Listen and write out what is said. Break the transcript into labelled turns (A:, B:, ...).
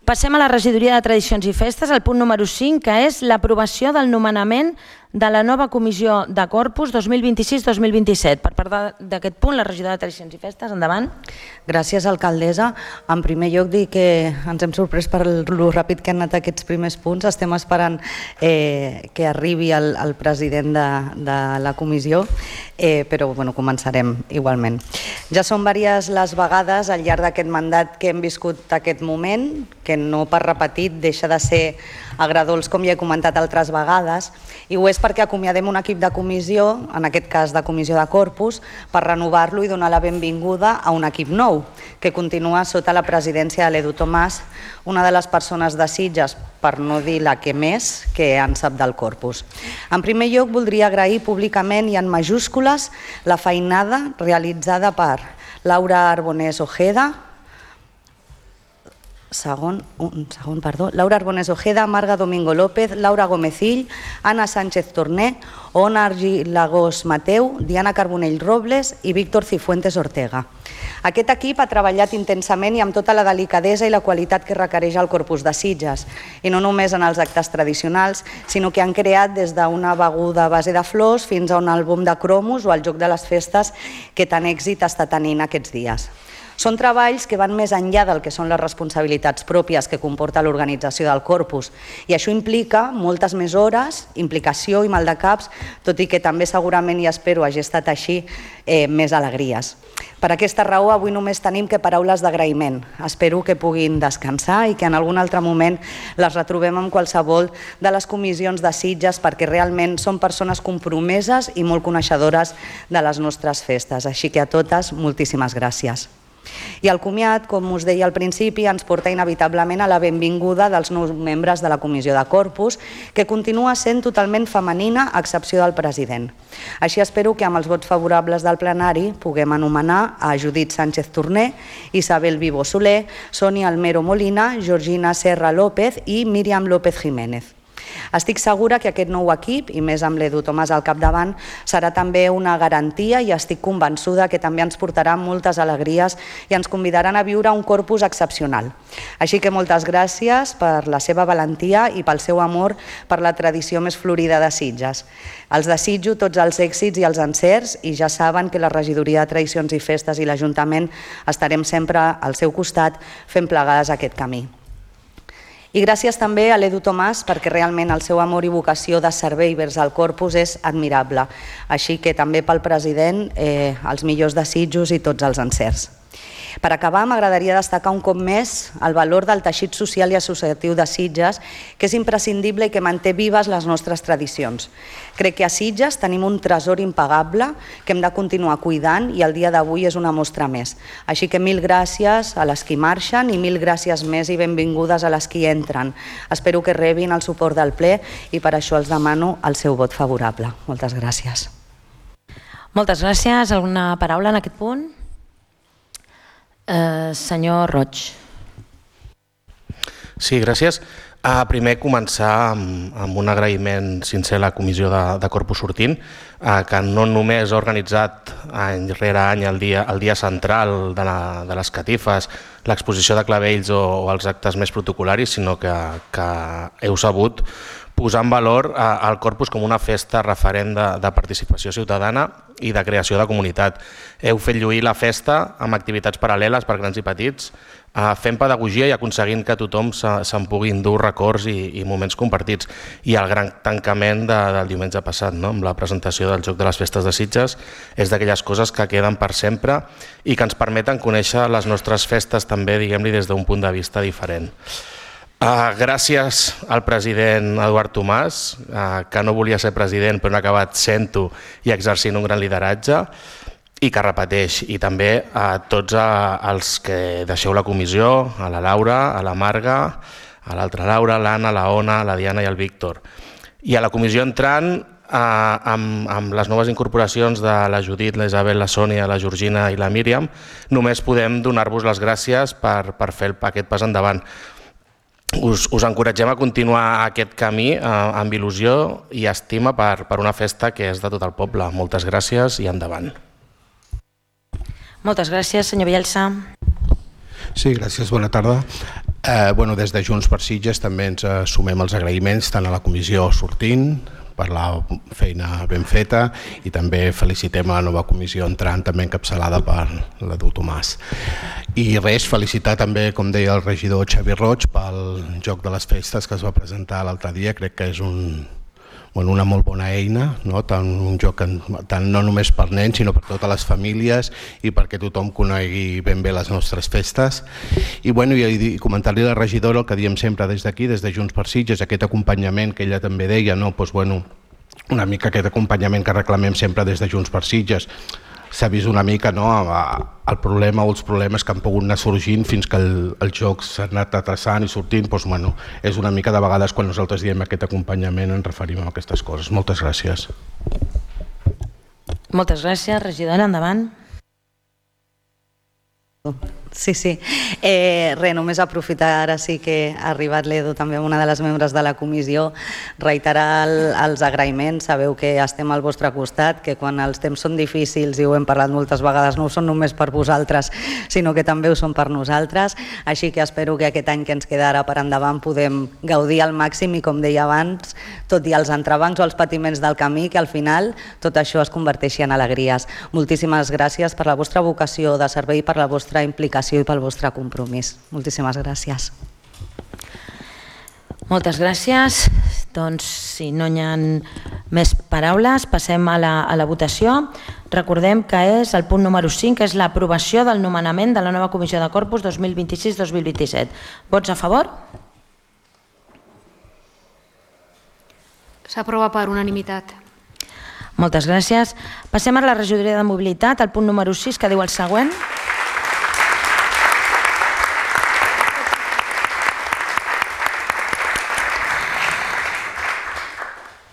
A: Passem a la regidoria de Tradicions i Festes, el punt número 5, que és l'aprovació del nomenament de la nova comissió de Corpus 2026-2027. Per parlar d'aquest punt, la regidora de Tradicions i Festes, endavant.
B: Gràcies, alcaldessa. En primer lloc, dir que ens hem sorprès per lo ràpid que han anat aquests primers punts. Estem esperant que arribi el president de la comissió, però començarem igualment. Ja són diverses les vegades al llarg d'aquest mandat que hem viscut aquest moment, que no per repetit deixa de ser agradolç, com ja he comentat altres vegades, i ho és perquè acomiadem un equip de comissió, en aquest cas de comissió de Corpus, per renovar-lo i donar la benvinguda a un equip nou, que continua sota la presidència de l'Edu Tomàs, una de les persones de Sitges, per no dir la que més, que en sap del Corpus. En primer lloc, voldria agrair públicament i en majúscules la feinada realitzada per Laura Arbonés Ojeda, Laura Arbonés Ojeda, Marga Domingo López, Laura Gomecill, Anna Sánchez Torné, Ona Argilagós Mateu, Diana Carbonell Robles i Víctor Cifuentes Ortega. Aquest equip ha treballat intensament i amb tota la delicadesa i la qualitat que requereix el Corpus de Sitges, i no només en els actes tradicionals, sinó que han creat des d'una beguda a base de flors fins a un àlbum de cromos o el joc de les festes que tant èxit està tenint aquests dies. Són treballs que van més enllà del que són les responsabilitats pròpies que comporta l'organització del Corpus, i això implica moltes més hores, implicació i maldecaps, tot i que també segurament, i espero hagi estat així, més alegries. Per aquesta raó, avui només tenim que paraules d'agraïment. Espero que puguin descansar i que en algun altre moment les retrobem en qualsevol de les comissions de Sitges, perquè realment són persones compromeses i molt coneixedores de les nostres festes. Així que a totes, moltíssimes gràcies. I el comiat, com us deia al principi, ens porta inevitablement a la benvinguda dels nous membres de la comissió de Corpus, que continua sent totalment femenina, a excepció del president. Així espero que amb els vots favorables del plenari puguem anomenar a Judit Sánchez Torné, Isabel Vivo Soler, Sonia Almero Molina, Georgina Serra López i Míriam López Jiménez. Estic segura que aquest nou equip, i més amb l'Edu Tomàs al capdavant, serà també una garantia i estic convençuda que també ens portarà moltes alegries i ens convidaran a viure un Corpus excepcional. Així que moltes gràcies per la seva valentia i pel seu amor per la tradició més florida de Sitges. Els desitjo tots els èxits i els encerts i ja saben que la regidoria de Tradicions i Festes i l'Ajuntament estarem sempre al seu costat fent plegades aquest camí. I gràcies també a l'Edu Tomàs perquè realment el seu amor i vocació de servei vers el Corpus és admirable. Així que també pel president els millors desitjos i tots els encerts. Per acabar, m'agradaria destacar un cop més el valor del teixit social i associatiu de Sitges, que és imprescindible i que manté vives les nostres tradicions. Crec que a Sitges tenim un tresor impagable que hem de continuar cuidant i el dia d'avui és una mostra més. Així que mil gràcies a les que marxen i mil gràcies més i benvingudes a les que hi entren. Espero que rebin el suport del ple i per això els demano el seu vot favorable. Moltes gràcies.
A: Moltes gràcies. Alguna paraula en aquest punt? Senyor Roig.
C: Sí, gràcies. Primer començar amb un agraïment sincer a la comissió de Corpus sortint, que no només ha organitzat any rere any el dia central de les catifes, l'exposició de clavells o els actes més protocolaris, sinó que heu sabut posar en valor el Corpus com una festa referent de participació ciutadana i de creació de comunitat. Heu fet lluir la festa amb activitats paral·leles per grans i petits, fent pedagogia i aconseguint que tothom se'n pugui endur records i moments compartits. I el gran tancament del diumenge passat, amb la presentació del Joc de les Festes de Sitges, és d'aquelles coses que queden per sempre i que ens permeten conèixer les nostres festes també, diguem-li, des d'un punt de vista diferent. Gràcies al president Eduard Tomàs, que no volia ser president però ha acabat sent-ho i exercint un gran lideratge i que repeteix, i també a tots els que deixeu la comissió, a la Laura, a la Marga, a l'altra Laura, l'Anna, la Ona, la Diana i el Víctor. I a la comissió entrant, amb les noves incorporacions de la Judit, la Isabel, la Sònia, la Georgina i la Míriam, només podem donar-vos les gràcies per fer aquest pas endavant. Us encoratgem a continuar aquest camí amb il·lusió i estima per una festa que és de tot el poble. Moltes gràcies i endavant.
A: Moltes gràcies, senyor Bielsa.
D: Sí, gràcies, bona tarda. Des de Junts per Sitges també ens sumem els agraïments tant a la comissió sortint per la feina ben feta i també felicitem a la nova comissió entrant també encapçalada per l'Edu Tomàs. I res, felicitar també, com deia el regidor Xavi Roig, pel joc de les festes que es va presentar l'altre dia. Crec que és una molt bona eina, tant un joc no només per nens sinó per totes les famílies i perquè tothom conegui ben bé les nostres festes. I comentar-li a la regidora el que diem sempre des d'aquí, des de Junts per Sitges, aquest acompanyament que ella també deia, una mica aquest acompanyament que reclamem sempre des de Junts per Sitges. S'ha vist una mica el problema o els problemes que han pogut anar sorgint fins que el joc s'ha anat atrasant i sortint. És una mica de vegades quan nosaltres diem aquest acompanyament ens referim a aquestes coses. Moltes gràcies.
A: Moltes gràcies, regidora, endavant.
B: Sí. Només aprofitar, ara sí que ha arribat l'Edu, també una de les membres de la comissió, reiterar els agraïments. Sabeu que estem al vostre costat, que quan els temps són difícils, i ho hem parlat moltes vegades, no ho són només per vosaltres, sinó que també ho són per nosaltres. Així que espero que aquest any que ens queda ara per endavant podem gaudir al màxim i, com deia abans, tot i els entrebancs o els patiments del camí, que al final tot això es converteixi en alegries. Moltíssimes gràcies per la vostra vocació de servei, per la vostra implicació i pel vostre compromís. Moltíssimes gràcies.
A: Moltes gràcies. Doncs, si no hi ha més paraules, passem a la votació. Recordem que és el punt número 5, que és l'aprovació del nomenament de la nova Comissió de Corpus 2026-2027. Vots a favor?
E: S'aprova per unanimitat.
A: Moltes gràcies. Passem a la regidoria de mobilitat, el punt número 6, que diu el següent.